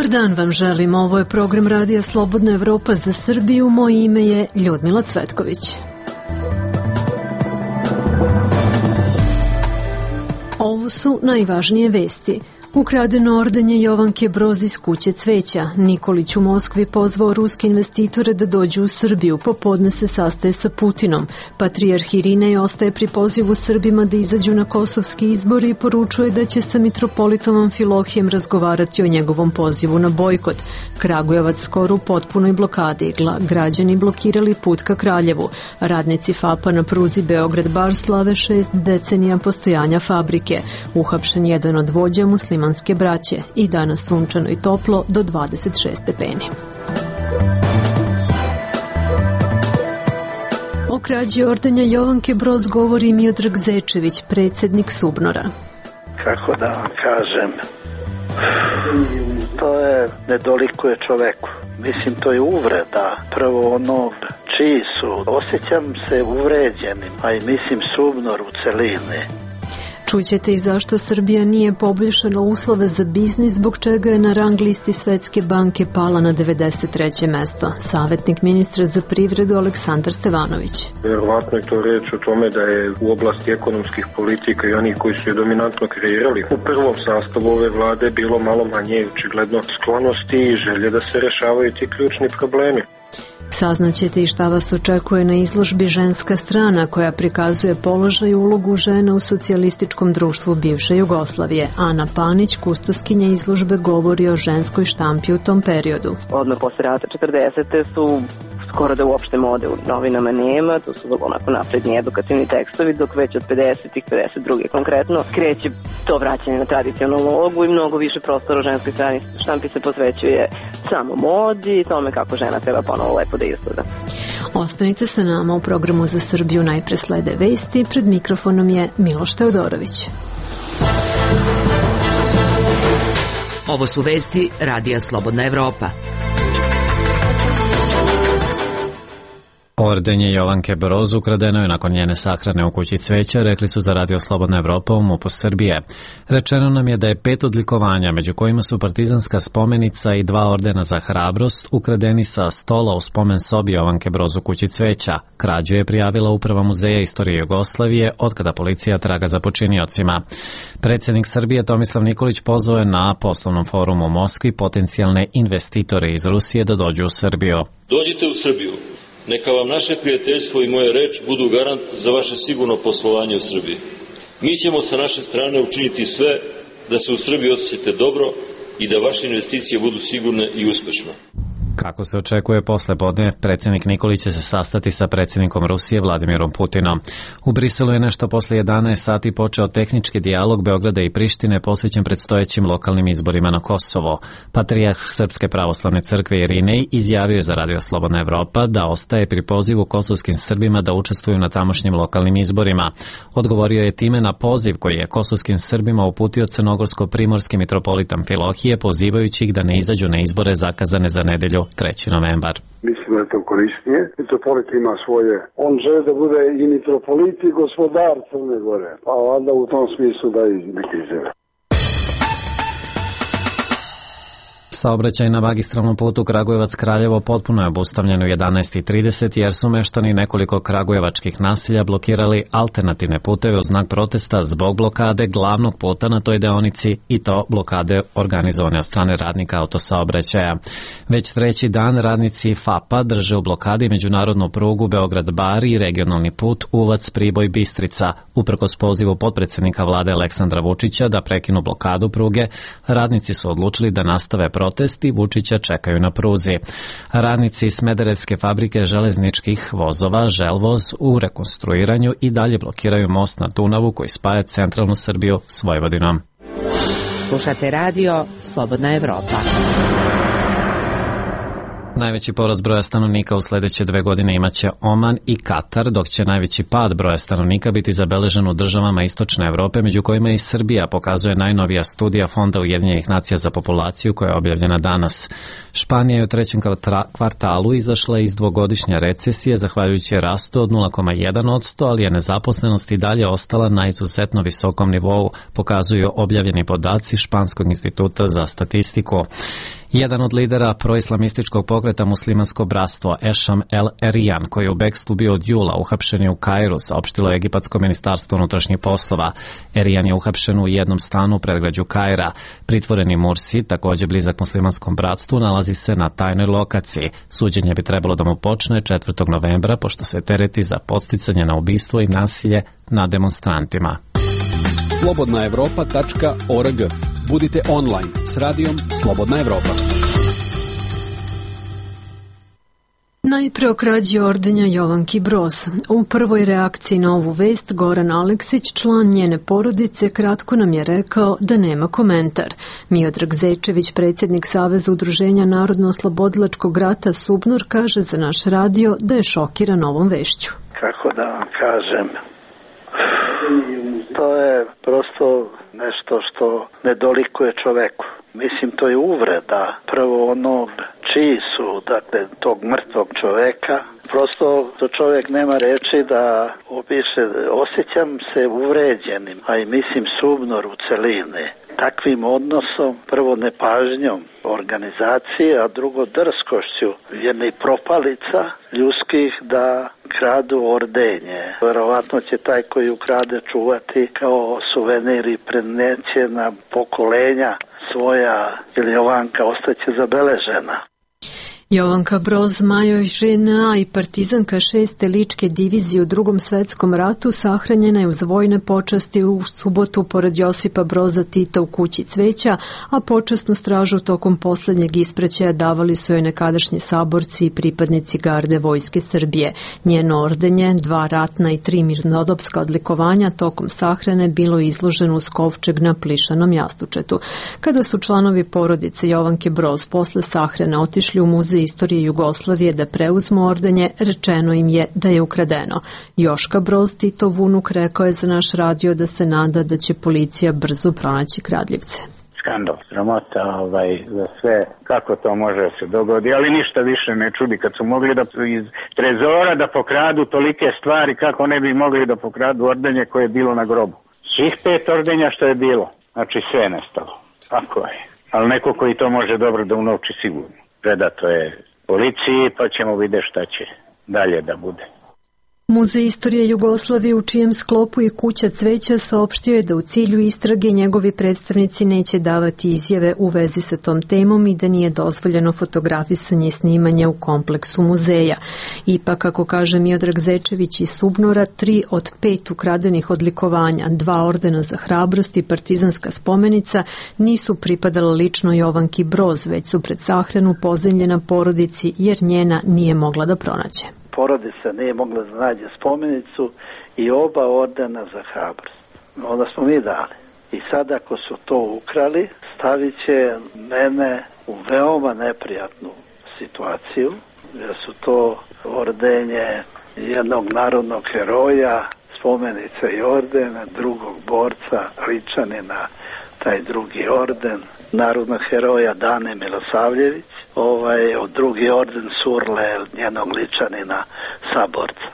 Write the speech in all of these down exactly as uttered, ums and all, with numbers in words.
Dobar dan vam želim, ovo je program Radija Slobodna Evropa za Srbiju, moje ime je Ljudmila Cvetković. Ovo su najvažnije vesti. Ukradeno ordenje Jovanke Broz iz kuće cveća. Nikolić u Moskvi pozvao ruske investitore da dođu u Srbiju. Popodne se sastaje sa Putinom. Patrijarh Irinej ostaje pri pozivu Srbima da izađu na kosovski izbori i poručuje da će sa mitropolitom Amfilohijem razgovarati o njegovom pozivu na bojkot. Kragujevac skoro u potpunoj blokadi. Građani blokirali put ka Kraljevu. Radnici FAP-a na pruzi Beograd-Bar slave šest decenija postojanja fabrike. Uhapšen jedan od vođa muslimanske braće i danas sunčano i toplo do dvadeset šest stepeni. O krađi ordenja Jovanke Broz govori Miodrag Zečević, predsjednik Subnora. Kako da vam kažem, to je, ne dolikuje čoveku. Mislim, to je uvreda. Prvo ono čiji su, osjećam se uvređenim, a i mislim Subnor u celini. Čućete i zašto Srbija nije poboljšala uslove za biznis, zbog čega je na rang listi Svetske banke pala na devedeset treće mesto. Savjetnik ministra za privredu Aleksandar Stevanović. Verovatno je to reč o tome da je u oblasti ekonomskih politika i onih koji su je dominantno kreirali u prvom sastavu ove vlade bilo malo manje očigledno sklonosti i želje da se rešavaju ti ključni problemi. Saznaćete i šta vas očekuje na izložbi Ženska strana, koja prikazuje položaj i ulogu žena u socijalističkom društvu bivše Jugoslavije. Ana Panić, kustoskinja izložbe, govori o ženskoj štampi u tom periodu. Odmah posle rata četrdesete su skoro da uopšte mode u novinama nema, to su onako napredni edukativni tekstovi, dok već od pedesetih, pedeset druge konkretno, kreće to vraćanje na tradicionalnu ulogu i mnogo više prostora u ženskoj strani štampi se posvećuje samo modi i tome kako žena treba ponovo lepo da izgleda. Ostanite sa nama u programu za Srbiju, najpre slede vesti, pred mikrofonom je Miloš Teodorović. Ovo su vesti Radija Slobodna Evropa. Ordenje Jovanke Broz ukradeno je nakon njene sahrane u kući cveća, rekli su za Radio Slobodna Evropa u MUP-u Srbije. Rečeno nam je da je pet odlikovanja, među kojima su partizanska spomenica i dva ordena za hrabrost, ukradeni sa stola u spomen sobi Jovanke Broz u kući cveća. Krađu je prijavila Uprava Muzeja istorije Jugoslavije, otkada policija traga za počiniocima. Predsjednik Srbije Tomislav Nikolić pozvao je na poslovnom forumu u Moskvi potencijalne investitore iz Rusije da dođu u Srbiju. Dođite u Srbiju. Neka vam naše prijateljstvo i moja reč budu garant za vaše sigurno poslovanje u Srbiji. Mi ćemo sa naše strane učiniti sve da se u Srbiji osjećate dobro i da vaše investicije budu sigurne i uspešne. Kako se očekuje posle podne, predsjednik Nikolić će se sastati sa predsjednikom Rusije Vladimirom Putinom. U Briselu je nešto posle jedanaest sati počeo tehnički dijalog Beograda i Prištine posvećen predstojećim lokalnim izborima na Kosovo. Patrijarh Srpske pravoslavne crkve Irinej izjavio je za Radio Slobodna Evropa da ostaje pri pozivu kosovskim Srbima da učestvuju na tamošnjim lokalnim izborima. Odgovorio je time na poziv koji je kosovskim Srbima uputio crnogorsko-primorski mitropolit Amfilohije, pozivajući ih da ne izađu na izbore zakazane za nedelju treći novembar. Mislim da je to korisnije. Mitropolit ima svoje. On želi da bude i mitropolit i gospodar Crne Gore. Pa onda u tom smislu da i neki izjave. Saobraćaj na magistralnom putu Kragujevac-Kraljevo potpuno je obustavljen u jedanaest i trideset jer su meštani nekoliko kragujevačkih naselja blokirali alternativne puteve u znak protesta zbog blokade glavnog puta na toj deonici i to blokade organizovane od strane radnika autosaobraćaja. Već treći dan radnici FAP-a drže u blokadi međunarodnu prugu Beograd-Bar i regionalni put Uvac-Priboj-Bistrica. Uprkos pozivu potpredsjednika vlade Aleksandra Vučića da prekinu blokadu pruge, radnici su odlučili da nastave protesti, Vučića čekaju na pruzi. Radnici Smederevske fabrike železničkih vozova Želvoz u rekonstruiranju i dalje blokiraju most na Dunavu koji spaja centralnu Srbiju s Vojvodinom. Slušate radio Slobodna Evropa. Najveći porast broja stanovnika u sljedeće dve godine imaće Oman i Katar, dok će najveći pad broja stanovnika biti zabeležen u državama Istočne Evrope, među kojima i Srbija, pokazuje najnovija studija Fonda Ujedinjenih nacija za populaciju koja je objavljena danas. Španija je u trećem kvartalu izašla iz dvogodišnje recesije zahvaljujući rastu od nula zarez jedan posto, ali je nezaposlenost i dalje ostala na izuzetno visokom nivou, pokazuju objavljeni podaci Španskog instituta za statistiku. Jedan od lidera proislamističkog pokreta Muslimansko bratstvo Ešam El Erijan, koji je u bekstvu bio od jula, uhapšen je u Kairu, saopštilo je Egipatsko ministarstvo unutrašnjih poslova. Erijan je uhapšen u jednom stanu u predgrađu Kaira. Pritvoreni Mursi, takođe blizak Muslimanskom bratstvu, nalazi se na tajnoj lokaciji. Suđenje bi trebalo da mu počne četvrtog novembra, pošto se tereti za podsticanje na ubistvo i nasilje na demonstrantima. slobodna evropa tačka org. Budite online s radijom Slobodna Evropa. Najpre o krađi ordenja Jovanki Broz. U prvoj reakciji na ovu vest Goran Aleksić, član njene porodice, kratko nam je rekao da nema komentar. Miodrag Zečević, predsjednik Saveza udruženja Narodno-oslobodilačkog rata Subnor, kaže za naš radio da je šokiran ovom vešću. Kako da vam kažem, to je prosto nešto što ne dolikuje čoveku. Mislim, to je uvreda. Prvo ono čiji su, dakle, tog mrtvog čoveka. Prosto to čovjek nema reči da opiše. Osjećam se uvređenim, a i mislim Subnor u celini. Takvim odnosom, prvo nepažnjom organizacije, a drugo drskošću jednih propalica ljudskih da kradu ordenje. Verovatno će taj koji ukrade čuvati kao suvenir i preneće na pokolenja svoja, ili Jovanka ostaće zabeležena. Jovanka Broz, major Ž N A i partizanka šeste ličke divizije u drugom svetskom ratu, sahranjena je uz vojne počasti u subotu pored Josipa Broza Tita u kući Cveća, a počasnu stražu tokom poslednjeg ispraćaja davali su joj nekadašnji saborci i pripadnici garde Vojske Srbije. Njeno ordenje, dva ratna i tri mirnodopska odlikovanja tokom sahrane bilo izloženo uz kovčeg na plišanom jastučetu. Kada su članovi porodice Jovanke Broz posle sahrane otišli u muzej istorije Jugoslavije da preuzmu ordenje, rečeno im je da je ukradeno. Joška Broz, Titov unuk, rekao je za naš radio da se nada da će policija brzo pronaći kradljivce. Skandal, sramota ovaj, za sve, kako to može se dogodi, ali ništa više ne čudi kad su mogli da iz trezora da pokradu tolike stvari, kako ne bi mogli da pokradu ordenje koje je bilo na grobu. Svih pet ordenja što je bilo, znači sve je nestalo. Tako je. Ali neko koji to može dobro da unovči sigurno. Predato je policiji, pa ćemo vidjeti šta će dalje da bude. Muzej istorije Jugoslavije, u čijem sklopu i kuća Cveća, saopštio je da u cilju istrage njegovi predstavnici neće davati izjave u vezi sa tom temom i da nije dozvoljeno fotografisanje i snimanje u kompleksu muzeja. Ipak, kako kaže Miodrag Zečević iz Subnora, tri od pet ukradenih odlikovanja, dva ordena za hrabrost i partizanska spomenica nisu pripadala lično Jovanki Broz, već su pred sahranu pozemljena porodici jer njena nije mogla da pronaće. Porodica nije mogla da nađe spomenicu i oba ordena za hrabrost. Onda smo mi dali. I sad ako su to ukrali, stavit će mene u veoma neprijatnu situaciju, jer su to ordenje jednog narodnog heroja, spomenica i ordena, drugog borca, Ličanina, taj drugi orden, narodnog heroja Dane Milosavljević, ovaj, od drugi orden Surle, njenog Ličanina, saborca.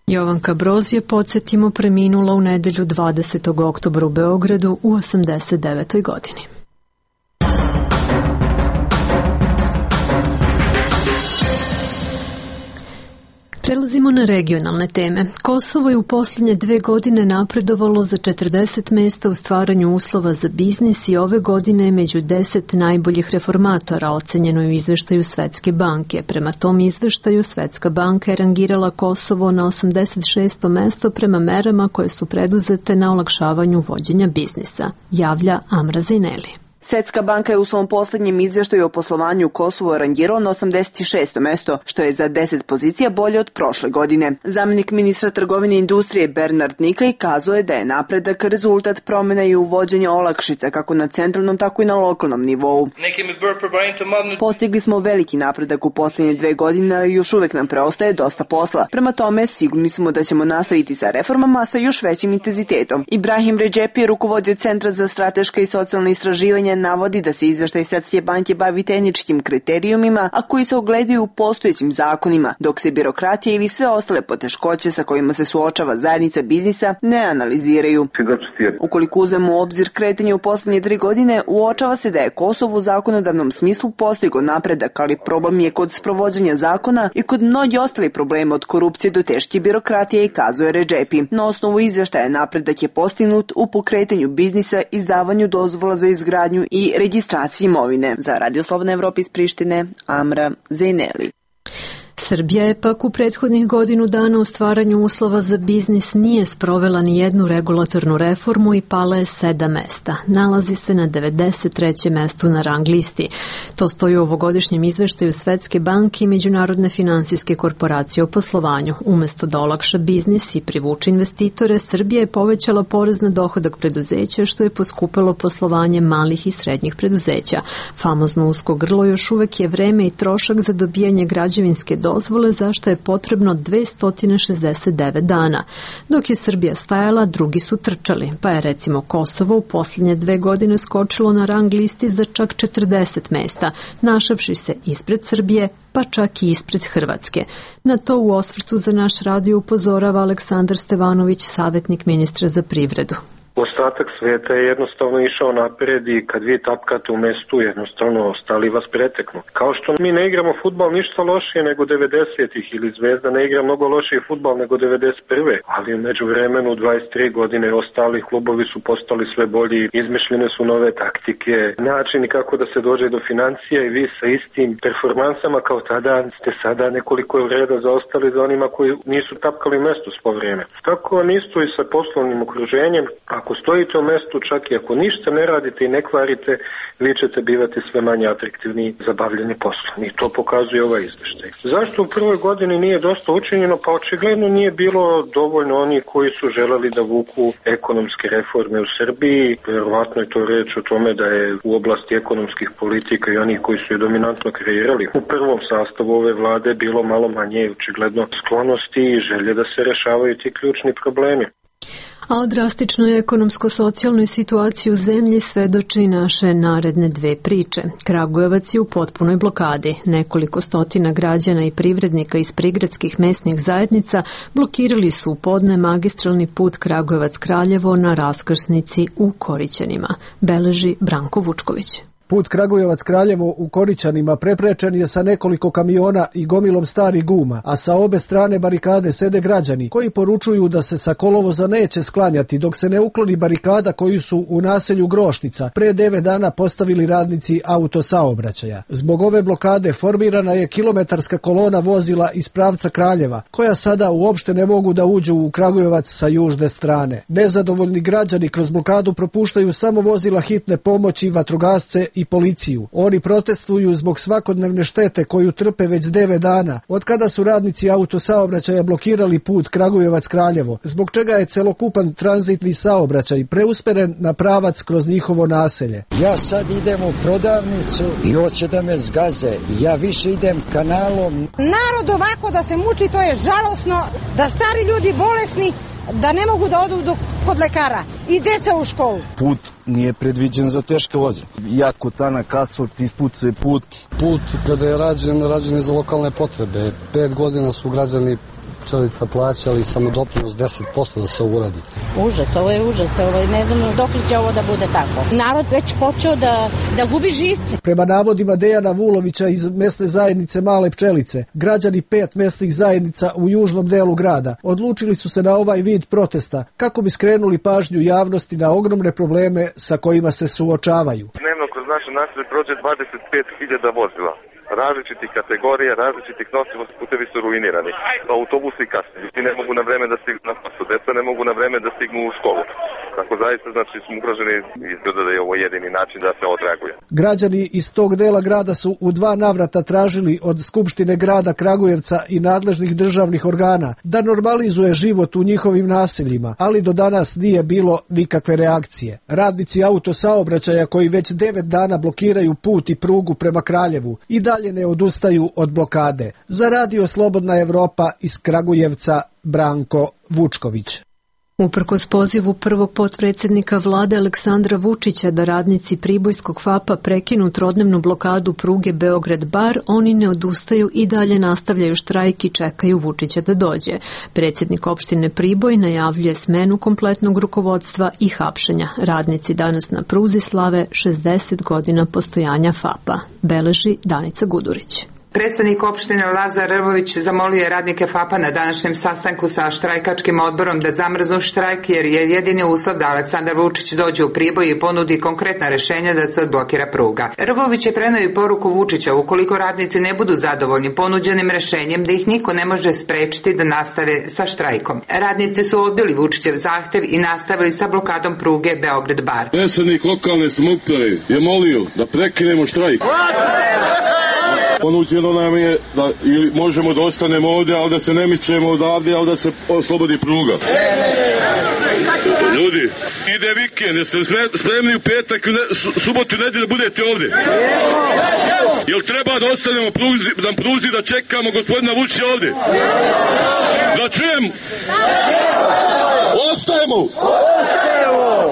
Jovanka Broz je, podsjetimo, preminula u nedelju dvadesetog oktobra u Beogradu u osamdeset devetoj godini. Prelazimo na regionalne teme. Kosovo je u posljednje dve godine napredovalo za četrdeset mesta u stvaranju uslova za biznis i ove godine je među deset najboljih reformatora, ocenjeno je u izveštaju Svetske banke. Prema tom izveštaju Svetska banka je rangirala Kosovo na osamdeset šesto mesto prema merama koje su preduzete na olakšavanju vođenja biznisa, javlja Amra Zineli. Svetska banka je u svom posljednjem izveštaju o poslovanju Kosovo rangirao na osamdeset šesto mesto, što je za deset pozicija bolje od prošle godine. Zamjenik ministra trgovine i industrije Bernard Nikaj kazao je da je napredak rezultat promjena i uvođenja olakšica kako na centralnom, tako i na lokalnom nivou. Postigli smo veliki napredak u posljednje dve godine, ali još uvek nam preostaje dosta posla. Prema tome, sigurni smo da ćemo nastaviti sa reformama sa još većim intenzitetom. Ibrahim Redžepi je rukovodio Centra za strateška i socijalna istraživanja navodi da se izveštaj Svetske banke bavi tehničkim kriterijumima, a koji se ogledaju u postojećim zakonima, dok se birokratija ili sve ostale poteškoće sa kojima se suočava zajednica biznisa ne analiziraju. Ukoliko uzmemo u obzir kretanje u poslednje tri godine, uočava se da je Kosovo u zakonodavnom smislu postiglo napredak, ali problem je kod sprovođenja zakona i kod mnogi ostali problema od korupcije do teške birokratije, i kazuje Redžepi. Na osnovu izveštaja napredak je postignut u pokretanju biznisa, izdavanju dozvola za izgradnju i registraciji imovine. Za Radio Slobodna Evropa iz Prištine, Amra Zejneli. Srbija je pak u prethodnih godinu dana u stvaranju uslova za biznis nije sprovela ni jednu regulatornu reformu i pala je sedam mesta. Nalazi se na devedeset trećem mestu na rang listi. To stoji u ovogodišnjem izveštaju Svetske banke i Međunarodne finansijske korporacije o poslovanju. Umesto da olakša biznis i privuče investitore, Srbija je povećala porez na dohodak preduzeća, što je poskupelo poslovanje malih i srednjih preduzeća. Famozno usko grlo još uvek je vreme i trošak za dobijanje građevinske dozvole, zašto je potrebno dvesta šezdeset devet dana. Dok je Srbija stajala, drugi su trčali, pa je recimo Kosovo u posljednje dve godine skočilo na rang listi za čak četrdeset mesta, našavši se ispred Srbije, pa čak i ispred Hrvatske. Na to u osvrtu za naš radio upozorava Aleksandar Stevanović, savjetnik ministra za privredu. Ostatak sveta je jednostavno išao napred i kad vi tapkate u mestu, jednostavno ostali vas preteknu. Kao što mi ne igramo fudbal ništa lošije nego devedesetih ili Zvezda ne igra mnogo lošiji fudbal nego devedeset prve. Ali među vremenu dvadeset tri godine ostali klubovi su postali sve bolji, izmišljene su nove taktike, načini kako da se dođe do financija i vi sa istim performansama kao tada ste sada nekoliko vreda zaostali za onima koji nisu tapkali mesto svo vrijeme. Tako nisto i sa poslovnim okruženjem. Ako stojite u mestu, čak i ako ništa ne radite i ne kvarite, vi ćete bivati sve manje atraktivni za bavljanje poslom. I to pokazuje ovaj izveštaj. Zašto u prvoj godini nije dosta učinjeno? Pa očigledno nije bilo dovoljno oni koji su želeli da vuku ekonomske reforme u Srbiji. Verovatno je to reč o tome da je u oblasti ekonomskih politika i onih koji su je dominantno kreirali u prvom sastavu ove vlade bilo malo manje očigledno sklonosti i želje da se rešavaju ti ključni problemi. A o drastičnoj ekonomsko-socijalnoj situaciji u zemlji svedoče i naše naredne dve priče. Kragujevac je u potpunoj blokadi. Nekoliko stotina građana i privrednika iz prigradskih mesnih zajednica blokirali su u podne magistralni put Kragujevac-Kraljevo na raskrsnici u Korićanima, beleži Branko Vučković. Put Kragujevac-Kraljevo u Korićanima preprečen je sa nekoliko kamiona i gomilom starih guma, a sa obe strane barikade sede građani koji poručuju da se sa kolovoza neće sklanjati dok se ne ukloni barikada koju su u naselju Grošnica pre devet dana postavili radnici autosaobraćaja. Zbog ove blokade formirana je kilometarska kolona vozila iz pravca Kraljeva, koja sada uopšte ne mogu da uđu u Kragujevac sa južne strane. Nezadovoljni građani kroz blokadu propuštaju samo vozila hitne pomoći, vatrogasce i policiju. Oni protestuju zbog svakodnevne štete koju trpe već devet dana, od kada su radnici autosaobraćaja blokirali put Kragujevac-Kraljevo, zbog čega je celokupan tranzitni saobraćaj preusmeren na pravac kroz njihovo naselje. Ja sad idem u prodavnicu i hoće da me zgaze. Ja više idem kanalom. Narod ovako da se muči, to je žalosno, da stari ljudi bolesni, da ne mogu da odu do, kod lekara i deca u školu. Put nije predviđen za teške voze. Jako tanak asfalt, ispucuje put. Put kada je rađen, rađen je za lokalne potrebe. Pet godina su građani Pčelica plaćali samo doprinos deset posto da se uradi. Užas, ovo je užas, ovaj, ne znam dok li će ovo da bude tako. Narod već počeo da, da gubi živce. Prema navodima Dejana Vulovića iz mesne zajednice Male Pčelice, građani pet mesnih zajednica u južnom delu grada odlučili su se na ovaj vid protesta kako bi skrenuli pažnju javnosti na ogromne probleme sa kojima se suočavaju. Dnevno kroz naše naselje prođe dvadeset pet hiljada vozila. Različitih kategorija, različitih nosivosti, putevi su ruinirani. Autobusi kasne, ljudi ne mogu na vreme da stignu na posao, deca ne mogu na vreme da stignu u školu. Tako zaista, znači, smo ugroženi, izgleda da je ovo jedini način da se odreaguje. Građani iz tog dela grada su u dva navrata tražili od Skupštine grada Kragujevca i nadležnih državnih organa da normalizuje život u njihovim naseljima, ali do danas nije bilo nikakve reakcije. Radnici autosaobraćaja koji već devet dana blokiraju put i prugu prema Kraljevu i dalje ne odustaju od blokade. Za Radio Slobodna Evropa iz Kragujevca, Branko Vučković. Uprkos pozivu prvog potpredsjednika vlade Aleksandra Vučića da radnici Pribojskog FAP-a prekinu trodnevnu blokadu pruge Beograd-Bar, oni ne odustaju i dalje nastavljaju štrajk i čekaju Vučića da dođe. Predsjednik opštine Priboj najavljuje smenu kompletnog rukovodstva i hapšenja. Radnici danas na pruzi slave šezdeset godina postojanja FAP-a, beleži Danica Gudurić. Predstavnik opštine Lazar Rvović zamolio je radnike FAP-a na današnjem sastanku sa štrajkačkim odborom da zamrznu štrajk jer je jedini uslov da Aleksandar Vučić dođe u Priboj i ponudi konkretna rešenja da se odblokira pruga. Rvović je preneo i poruku Vučića ukoliko radnici ne budu zadovoljni ponuđenim rešenjem da ih niko ne može sprečiti da nastave sa štrajkom. Radnici su odbili Vučićev zahtev i nastavili sa blokadom pruge Beograd-Bar. Predsednik lokalne samouprave je molio da prekinemo štrajk. Ponuđeno nam je da ili možemo da ostanemo ovdje, ali da se ne mičemo odavde, ali da se oslobodi pruga. Ljudi, ide vikend, jeste spremni u petak, u subotu i nedjelju da budete ovdje? Jel treba da ostanemo pruzi, na pruzi da čekamo gospodina Vučića ovdje? Da čujem? Ostajemo!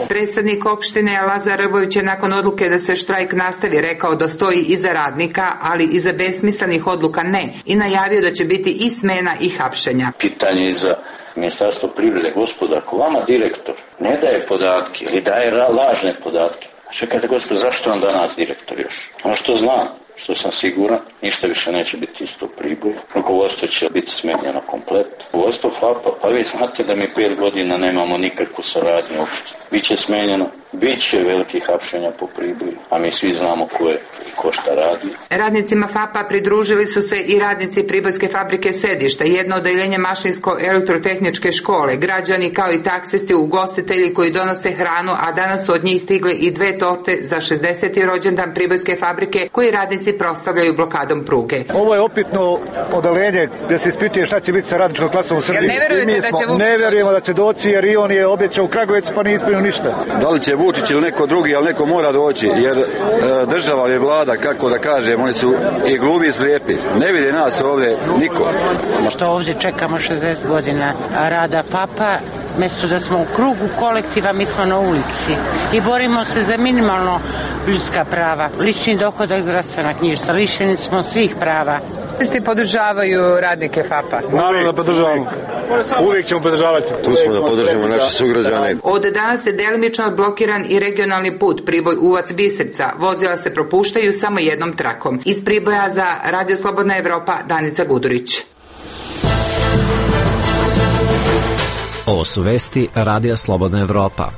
Predsednik opštine Lazar Rvović je nakon odluke da se štrajk nastavi rekao da stoji iza radnika, ali iza besmislenih odluka ne, i najavio da će biti i smena i hapšenja. Pitanje je za Ministarstvo privrede, gospoda, ako vama direktor ne daje podatke ili daje lažne podatke, čekajte gospod, zašto vam danas direktor još? Ono što znam, što sam siguran, ništa više neće biti isto u Priboju. Rukovodstvo će biti smenjeno komplet. Rukovodstvo FAP-a, pa vi znate da mi pet godina nemamo nikakvu saradnju uopšte. Biće smenjeno, bit će velikih hapšenja po Priboju, a mi svi znamo ko je i ko šta radi. Radnicima FAP-a pridružili su se i radnici Pribojske fabrike Sedišta, jedno odeljenje Mašinsko-elektrotehničke škole, građani kao i taksisti, ugostitelji koji donose hranu, a danas su od njih stigle i dve torte za šezdeseti rođendan Pribojske fabrike koji radnici proslavljaju blokadom pruge. Ovo je opitno odeljenje gdje se ispituje šta će biti sa radničkom klasom u Srbiji. Ne verujete da će Vučić Ne verujemo da će doći jer i on je obećao u Kragujevcu pa nije ispunio ništa. Da li će Vučić ili neko drugi, ali neko mora doći jer e, država je vlada, kako da kažem, oni su i glubi i slijepi. Ne vidi nas ovdje niko. Što ovdje čekamo šezdeset godina rada FAP-a, mjesto da smo u krugu kolektiva, mi smo na ulici i borimo se za minimalno ljudska prava, lični dohodak, zdravstvena knjižica, lišeni smo svih prava. Isti podržavaju radnike FAP-a? Naravno da podržavamo. Uvijek ćemo podržavati. Tu smo da podržimo naše sugrađane. Od danas je delimično blokiran i regionalni put Priboj-Uvac-Biserca. Vozila se propuštaju samo jednom trakom. Iz Priboja za Radio Slobodna Evropa, Danica Gudurić. Ovo su vesti Radija Slobodna Evropa.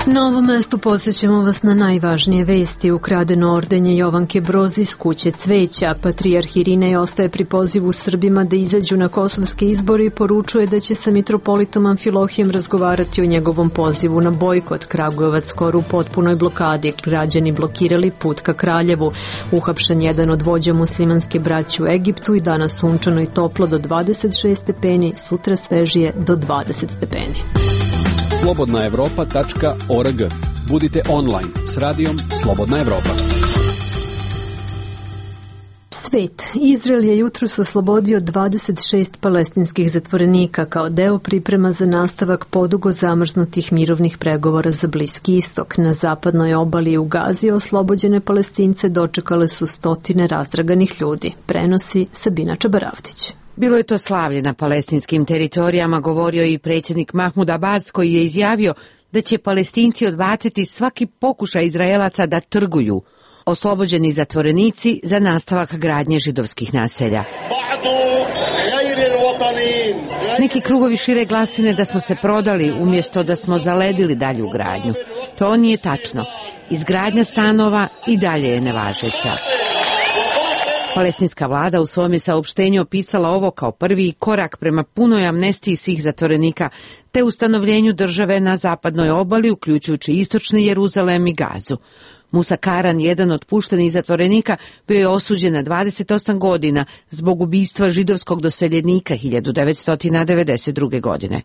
Na ovom mestu podsjećamo vas na najvažnije vesti. Ukradeno ordenje Jovanke Broz iz kuće cveća. Patrijarh Irinej ostaje pri pozivu Srbima da izađu na kosovske izbore i poručuje da će sa mitropolitom Amfilohijem razgovarati o njegovom pozivu na bojkot. Kragujevac skoro u potpunoj blokadi. Građani blokirali put ka Kraljevu. Uhapšen jedan od vođa muslimanske braće u Egiptu i danas sunčano i toplo do dvadeset šest stepeni, sutra svežije do dvadeset stepeni. slobodna evropa tačka org. Budite online s radijom Slobodna Evropa. Svet. Izrael je jutros oslobodio dvadeset šest palestinskih zatvorenika kao deo priprema za nastavak podugo zamrznutih mirovnih pregovora za Bliski istok. Na zapadnoj obali u Gazi oslobođene Palestince dočekale su stotine razdraganih ljudi. Prenosi Sabina Čabaravdić. Bilo je to slavlje na palestinskim teritorijama, govorio i predsjednik Mahmud Abbas, koji je izjavio da će Palestinci odbaciti svaki pokušaj Izraelaca da trguju oslobođeni zatvorenici za nastavak gradnje židovskih naselja. Neki krugovi šire glasine da smo se prodali umjesto da smo zaledili dalju gradnju. To nije tačno. Izgradnja stanova i dalje je nevažeća. Palestinska vlada u svom je saopštenju opisala ovo kao prvi korak prema punoj amnestiji svih zatvorenika te ustanovljenju države na zapadnoj obali, uključujući istočni Jeruzalem i Gazu. Musa Karan, jedan od puštenih zatvorenika, bio je osuđen na dvadeset osam godina zbog ubistva židovskog doseljenika hiljadu devetsto devedeset druge. godine.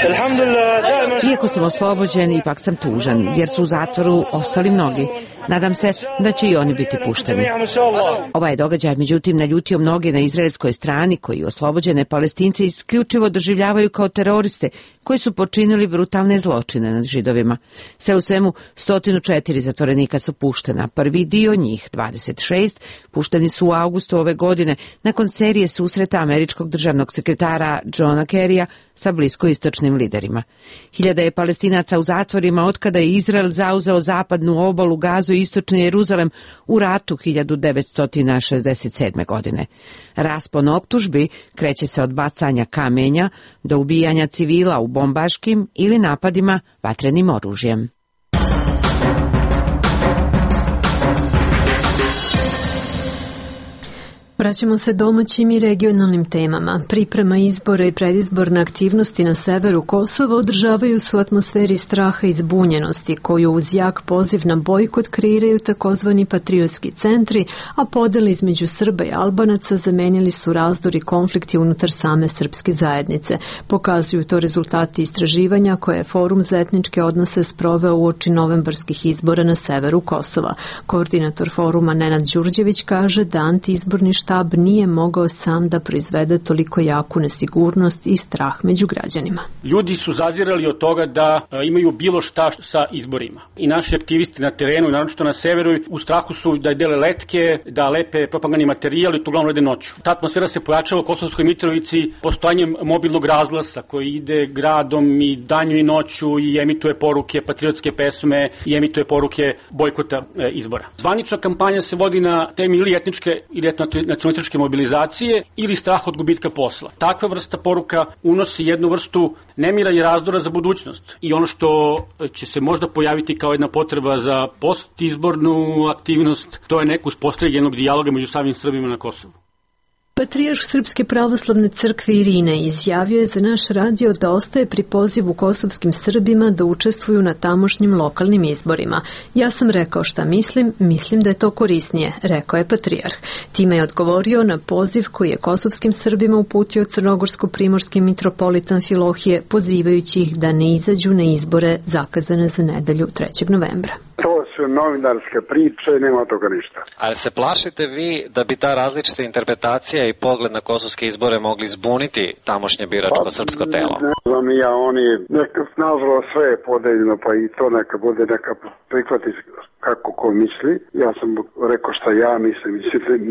Iako sam oslobođen, ipak sam tužan, jer su u zatvoru ostali mnogi. Nadam se da će i oni biti pušteni. Ovaj događaj, međutim, naljutio mnoge na izraelskoj strani, koji oslobođene Palestince isključivo doživljavaju kao teroriste koji su počinili brutalne zločine nad Židovima. Sve u svemu, sto četiri zatvorenika su puštena. Prvi dio njih, dvadeset šest, pušteni su u avgustu ove godine nakon serije susreta američkog državnog sekretara Johna Kerrya sa bliskoistočnim liderima. Hiljada je Palestinaca u zatvorima otkada je Izrael zauzeo zapadnu obalu, Gazu i istočni Jeruzalem u ratu hiljadu devetsto šezdeset sedme. godine. Raspon optužbi kreće se od bacanja kamenja do ubijanja civila u bombaškim ili napadima vatrenim oružjem. Vraćamo se domaćim i regionalnim temama. Priprema izbora i predizborne aktivnosti na severu Kosova održavaju se u atmosferi straha i zbunjenosti, koju uz jak poziv na bojkot kreiraju takozvani patriotski centri, a podele između Srba i Albanaca zamenili su razdor i konflikti unutar same srpske zajednice. Pokazuju to rezultati istraživanja koje je Forum za etničke odnose sproveo uoči novembarskih izbora na severu Kosova. Koordinator foruma Nenad Đurđević kaže da antiizborni štab nije mogao sam da proizvede toliko jaku nesigurnost i strah među građanima. Ljudi su zazirali od toga da imaju bilo šta sa izborima. I naši aktivisti na terenu, naročito na severu, u strahu su da dele letke, da lepe propagandni materijal i to uglavnom rade noću. Ta atmosfera se pojačava u Kosovskoj Mitrovici postojanjem mobilnog razglasa koji ide gradom i danju i noću i emituje poruke, patriotske pesme i emituje poruke bojkota e, izbora. Zvanična kampanja se vodi na temi ili etničke ili nacionalističke mobilizacije ili strah od gubitka posla. Takva vrsta poruka unosi jednu vrstu nemira i razdora za budućnost. I ono što će se možda pojaviti kao jedna potreba za postizbornu aktivnost, to je neko uspostavljanje jednog dijaloga među samim Srbima na Kosovu. Patrijarh Srpske pravoslavne crkve Irine izjavio je za naš radio da ostaje pri pozivu kosovskim Srbima da učestvuju na tamošnjim lokalnim izborima. Ja sam rekao šta mislim, mislim da je to korisnije, rekao je patrijarh. Time je odgovorio na poziv koji je kosovskim Srbima uputio crnogorsko-primorski mitropolitan Filohije, pozivajući ih da ne izađu na izbore zakazane za nedelju trećeg novembra. To su novinarske priče, nema toga ništa. Ali se plašite vi da bi ta različita interpretacija i pogled na kosovske izbore mogli zbuniti tamošnje biračko pa, srpsko telo? Ne znam ja, oni, neka, nažalost sve je podeljeno, pa i to neka bude, neka prihvati kako ko misli. Ja sam rekao šta ja mislim,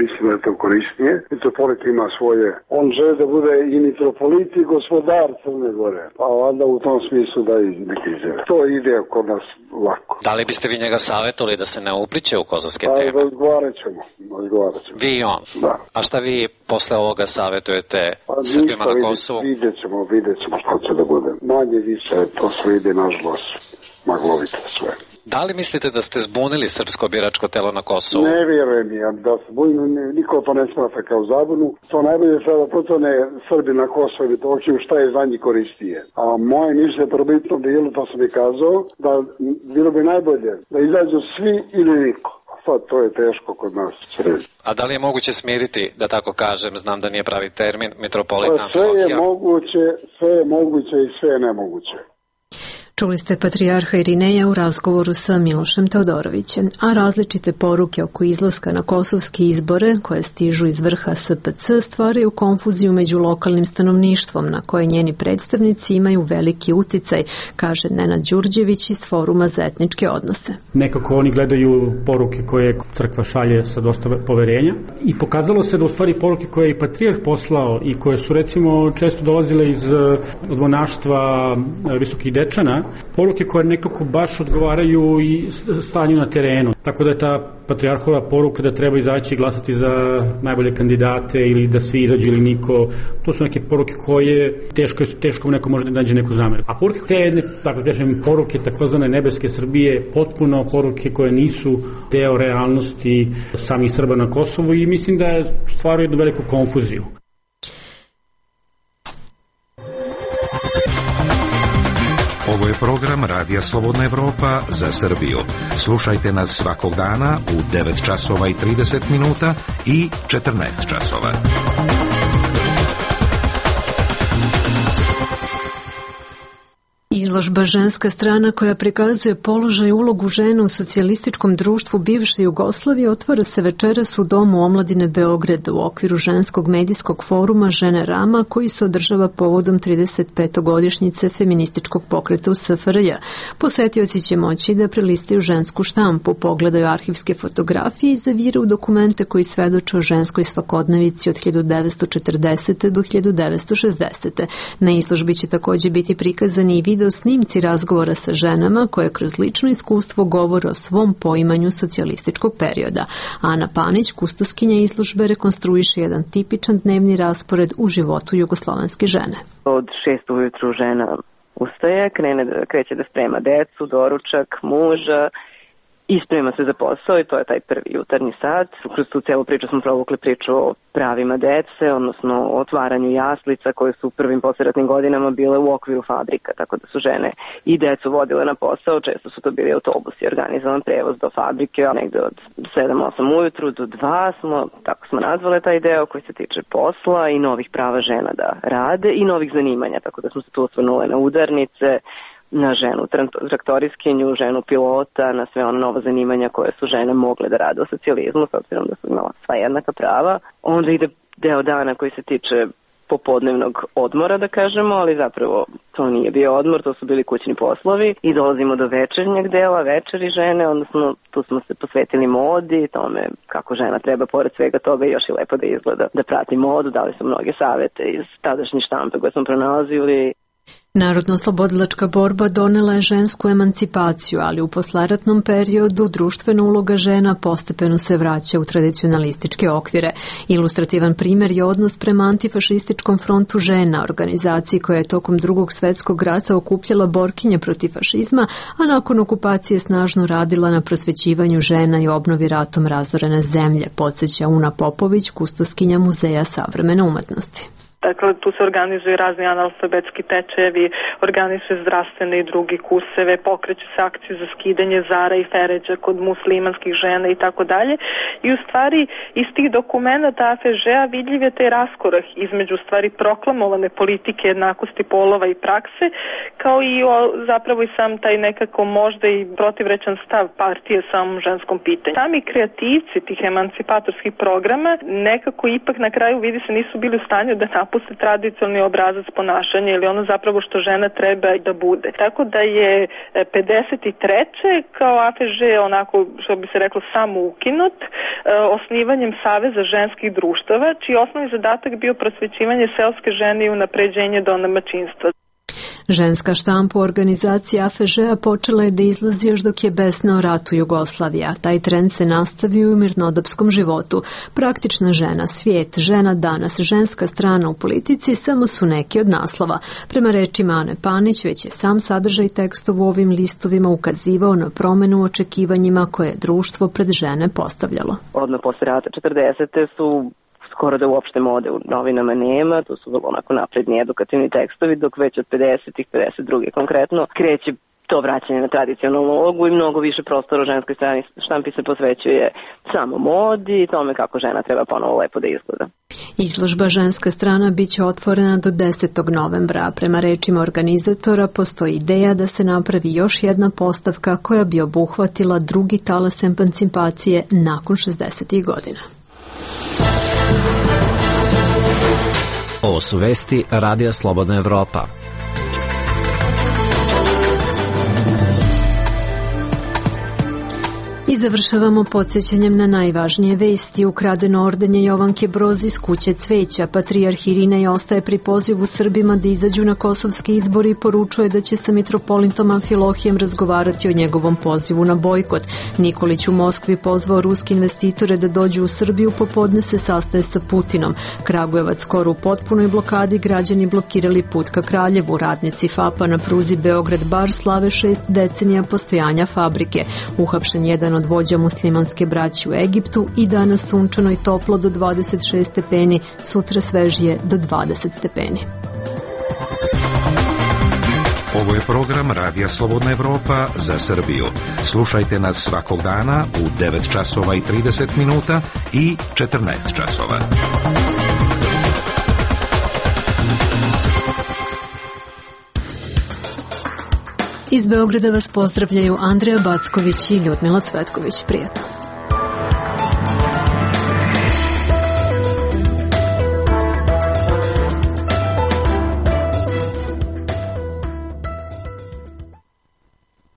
mislim da je to korisnije. Mitropolit ima svoje, on želi da bude i mitropolit i gospodar Crne Gore, pa onda u tom smislu da i neki izjave. To ide kod nas lako. Da li biste vi njega savjetovali da se ne upliče u kosovske pa, teme? Pa razgovarat ćemo, razgovarat ćemo. Vi i on? Da. A šta vi posle ovoga savjetujete pa, Srbima na Kosovu? Vidjet ćemo, vidjet ćemo što će da bude. Manje više, to sve ide nažalost maglovito sve. Da li mislite da ste zbunili srpsko biračko telo na Kosovu? Ne vjerujem ja da se zbunili, niko to ne smatra kao zabunu. To najbolje sada potone Srbi na Kosovu i doći u šta je za njih koristije. A moje mišljenje probitno bilo, to sam i kazao, da bilo bi najbolje da izađu svi ili niko. Sad to je teško kod nas sredi. A da li je moguće smiriti, da tako kažem, znam da nije pravi termin, mitropolitan Filohija? Sve je moguće, sve je moguće i sve je nemoguće. Čuli ste patrijarha Irineja u razgovoru sa Milošem Teodorovićem, a različite poruke oko izlaska na kosovske izbore koje stižu iz vrha S P C stvaraju konfuziju među lokalnim stanovništvom na koje njeni predstavnici imaju veliki uticaj, kaže Nenad Đurđević iz Foruma za etničke odnose. Nekako oni gledaju poruke koje crkva šalje sa dosta poverenja i pokazalo se da u stvari poruke koje je i patrijarh poslao i koje su recimo često dolazile iz monaštva Visokih Dečana, poruke koje nekako baš odgovaraju i stanju na terenu. Tako da je ta patrijarhova poruka da treba izaći i glasati za najbolje kandidate ili da svi izađu ili niko, to su neke poruke koje teško, teško neko može da nađe neku zameru. A poruke te jedne, tako kažem, poruke takozvane nebeske Srbije, potpuno poruke koje nisu deo realnosti samih Srba na Kosovu i mislim da je stvaraju jednu veliku konfuziju. Ovo je program Radija Slobodna Evropa za Srbiju. Slušajte nas svakog dana u devet časova i trideset minuta i četrnaest časova. Izložba Ženska strana, koja prikazuje položaj i ulogu žena u socijalističkom društvu bivše Jugoslavije, otvara se večeras u Domu omladine Beograda u okviru ženskog medijskog foruma Žene Rama, koji se održava povodom trideset petogodišnjice feminističkog pokreta u S F R J. Posetioci će moći da prelistaju žensku štampu, pogledaju arhivske fotografije i zaviraju dokumente koji svedoče o ženskoj svakodnevici od hiljadu devetsto četrdesete. do hiljadu devetsto šezdesete. Na izložbi će također biti prikazani i video snimci razgovora sa ženama koje kroz lično iskustvo govore o svom poimanju socijalističkog perioda. Ana Panić, kustoskinja izložbe, rekonstruiše jedan tipičan dnevni raspored u životu jugoslovenske žene. Od šest ujutru žena ustaje, krene, kreće da sprema decu, doručak, muža i sprema se za posao i to je taj prvi jutarnji sat. Kroz tu celu priču smo provukli priču o pravima dece, odnosno o otvaranju jaslica koje su u prvim poslijeratnim godinama bile u okviru fabrika, tako da su žene i decu vodile na posao, često su to bili autobusi, organizovan prevoz do fabrike, a negde od sedam osam ujutru do dva smo, tako smo nazvale taj deo koji se tiče posla i novih prava žena da rade i novih zanimanja, tako da smo se tu osvrnule na udarnice, na ženu traktoriskinju, ženu pilota, na sve ona nova zanimanja koje su žene mogle da rade u socijalizmu, s obzirom da su imala sva jednaka prava. Onda ide deo dana koji se tiče popodnevnog odmora, da kažemo, ali zapravo to nije bio odmor, to su bili kućni poslovi i dolazimo do večernjeg dela, večeri žene, odnosno tu smo se posvetili modi, tome kako žena treba pored svega toga još i lepo da izgleda, da prati modu, dali su mnoge savete iz tadašnje štampe koje smo pronalazili. Narodno-oslobodilačka borba donela je žensku emancipaciju, ali u posleratnom periodu društvena uloga žena postepeno se vraća u tradicionalističke okvire. Ilustrativan primjer je odnos prema antifašističkom frontu žena, organizaciji koja je tokom drugog svjetskog rata okupljala borkinje protiv fašizma, a nakon okupacije snažno radila na prosvećivanju žena i obnovi ratom razorene zemlje, podsjeća Una Popović, kustoskinja Muzeja savremene umetnosti. Dakle, tu se organizuju razni analfabetski tečajevi, organizuju zdravstvene i drugi kurseve, pokreću se akcije za skidanje zara i feređa kod muslimanskih žena i tako dalje. I u stvari iz tih dokumenta A F Ž-a vidljiv je taj raskorak između stvari proklamovane politike jednakosti polova i prakse, kao i o, zapravo i sam taj nekako možda i protivrečan stav partije samom ženskom pitanju. Sami kreativci tih emancipatorskih programa nekako ipak na kraju vidi se nisu bili u stanju da napuste tradicionalni obrazac ponašanja ili ono zapravo što žena treba da bude. Tako da je pedeset treće kao A F Ž onako, što bi se reklo, samo ukinut osnivanjem Saveza ženskih društava, čiji osnovni zadatak bio prosvećivanje seoske žene i unapređenje domaćinstva. Ženska štampa u organizaciji A F Ž-a počela je da izlazi još dok je besna o ratu Jugoslavija. Taj trend se nastavio u mirnodopskom životu. Praktična žena, svijet, žena danas, ženska strana u politici samo su neki od naslova. Prema rečima Ane Panić, već je sam sadržaj tekstova u ovim listovima ukazivao na promenu u očekivanjima koje je društvo pred žene postavljalo. Odmah posle rata četrdesete su skoro da uopšte mode u novinama nema, to su vrlo onako napredni edukativni tekstovi, dok već od pedesetih, pedeset druge konkretno, kreće to vraćanje na tradicionalnu ulogu i mnogo više prostora u ženskoj strani štampi se posvećuje samo modi i tome kako žena treba ponovo lepo da izgleda. Izložba Ženska strana biće otvorena do desetog novembra. Prema rečima organizatora postoji ideja da se napravi još jedna postavka koja bi obuhvatila drugi talas emancipacije nakon šezdesetih godina. Ovo su vesti Radija Slobodna Evropa. I završavamo podsjećanjem na najvažnije vesti. Ukradeno ordenje Jovanke Broz iz kuće cveća. Patrijarh Irinej ostaje pri pozivu Srbima da izađu na kosovske izbori i poručuje da će sa mitropolitom Amfilohijem razgovarati o njegovom pozivu na bojkot. Nikolić u Moskvi pozvao ruske investitore da dođu u Srbiju, popodne se sastaje sa Putinom. Kragujevac skoro u potpunoj blokadi, građani blokirali put ka Kraljevu. Radnici F A P-a na pruzi Beograd-Bar slave šest decenija postojanja fabrike. Uhapšen jedan od vođa muslimanske braće u Egiptu i danas sunčano i toplo do dvadeset šest stepeni, sutra svežije do dvadeset stepeni. Ovo je program Radija Slobodna Evropa za Srbiju. Slušajte nas svakog dana u devet časova i trideset minuta i četrnaest časova. Iz Beograda vas pozdravljaju Andreja Backović i Ljudmila Cvetković. Prijatno.